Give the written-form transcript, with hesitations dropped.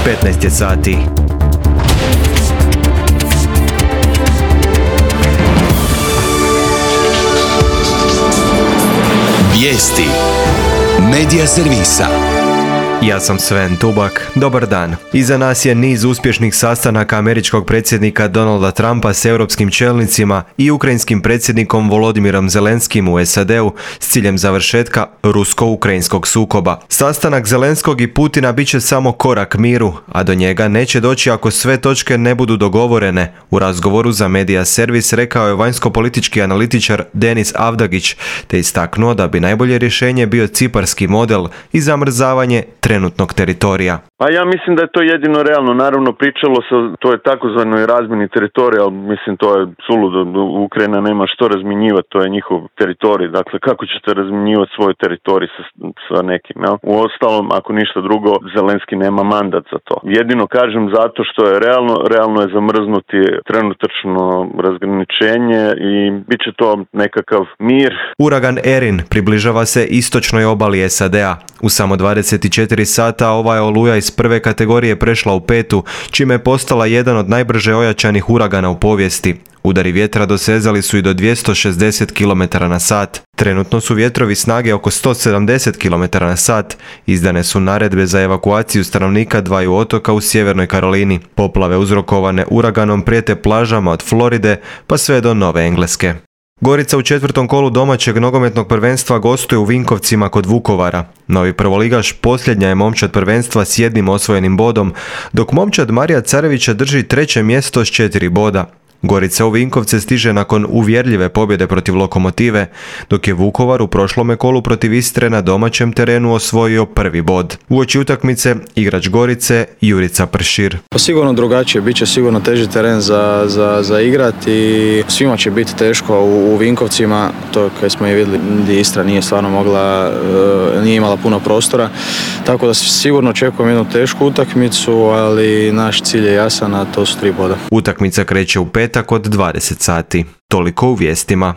15 je sati. Vijesti Medija servisa. Ja sam Sven Tubak, dobar dan. Iza nas je niz uspješnih sastanaka američkog predsjednika Donalda Trumpa s europskim čelnicima i ukrajinskim predsjednikom Volodimirom Zelenskim u SAD-u s ciljem završetka rusko-ukrajinskog sukoba. Sastanak Zelenskog i Putina bit će samo korak miru, a do njega neće doći ako sve točke ne budu dogovorene. U razgovoru za Medija servis rekao je vanjsko-politički analitičar Denis Avdagić, te istaknuo da bi najbolje rješenje bio ciparski model i zamrzavanje trenutnog teritorija. A ja mislim da je to jedino realno. Naravno, pričalo se o toj takozvanoj razmjeni teritorija, ali mislim to je suludo. Ukrajina nema što razmjenjivati, to je njihov teritorij. Dakle, kako ćete razmjenjivati svoj teritorij sa nekim? Ja? Uostalom, ako ništa drugo, Zelenski nema mandat za to. Jedino kažem zato što je realno je zamrznuti trenutačno razgraničenje i bit će to nekakav mir. Uragan Erin približava se istočnoj obali SAD-a. U samo 24 sata ova je oluja iz prve kategorije prešla u petu, čime je postala jedan od najbrže ojačanih uragana u povijesti. Udari vjetra dosezali su i do 260 km na sat. Trenutno su vjetrovi snage oko 170 km na sat. Izdane su naredbe za evakuaciju stanovnika dvaju otoka u Sjevernoj Karolini. Poplave uzrokovane uraganom prijete plažama od Floride pa sve do Nove Engleske. Gorica u četvrtom kolu domaćeg nogometnog prvenstva gostuje u Vinkovcima kod Vukovara. Novi prvoligaš posljednja je momčad prvenstva s jednim osvojenim bodom, dok momčad Marija Carevića drži treće mjesto s 4 boda. Gorica u Vinkovce stiže nakon uvjerljive pobjede protiv Lokomotive, dok je Vukovar u prošlome kolu protiv Istre na domaćem terenu osvojio prvi bod. Uoči utakmice igrač Gorice Jurica Pršir. Pa sigurno drugačije, bit će sigurno teži teren za igrati i svima će biti teško u Vinkovcima, to kad smo i vidjeli gdje Istra nije stvarno mogla, nije imala puno prostora, tako da sigurno očekujem jednu tešku utakmicu, ali naš cilj je jasan, a to su 3 boda. Utakmica kreće u petak od 20 sati. Toliko u vijestima.